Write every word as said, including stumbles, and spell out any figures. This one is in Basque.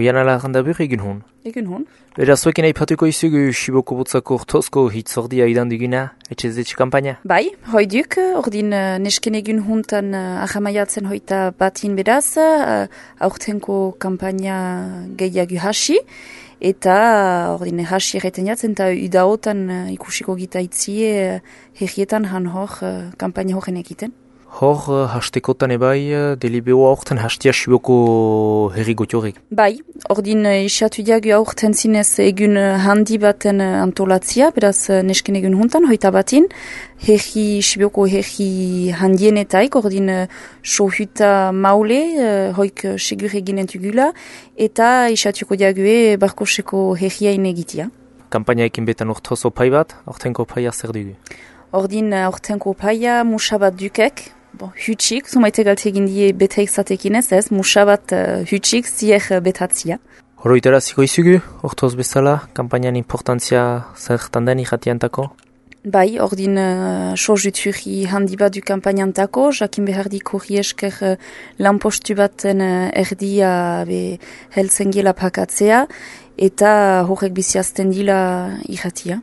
Oian alagandabur egin hon. Egin hon. Beraz, zuekin aipatuko izugu Siboko Butzako urtozko hitzordia idan duguna, etxez kampaina? Bai, hoi duk, ordin uh, nesken egin hontan uh, ahamaiatzen hoita batin beraz, uh, aurtenko kampaina gehiago hasi, eta uh, ordin hasi erreten jatzen, eta udaotan uh, ikusiko gita itzie uh, herrietan han hor uh, kampaina horren egiten. Hor, uh, hastekotan ebai, uh, delibeo aurten hastia Siboko herri gotiorik. Bai, ordin uh, isatu diagu aurten zinez egun uh, handi baten uh, antolatzia, beraz uh, nesken egun hontan, hoita batin, herri, Siboko herri handienetaik, ordin uh, sohuta maule, uh, hoik uh, segur eginen tugula, eta isatuko diague barkoseko herriain egitia. Kampaina ekin betan urtoz opai bat, aurtenko opaia zer dugu? Ordin uh, aurtenko opaia musabat dukek, Bon, hutsik, zumaite galte egin die beteik zatekin ez ez, musabat uh, hutsik zier uh, betatzia. Horoitara ziko izugu, ortoz bezala, kampainan importantzia zertan den irratiantako? Bai, ordin uh, sojuturi handi bat du kampainantako, jakin behar diko riesker uh, lanpostu baten uh, erdia be heltzen gela pakatzea, eta horrek biziazten dila irratia.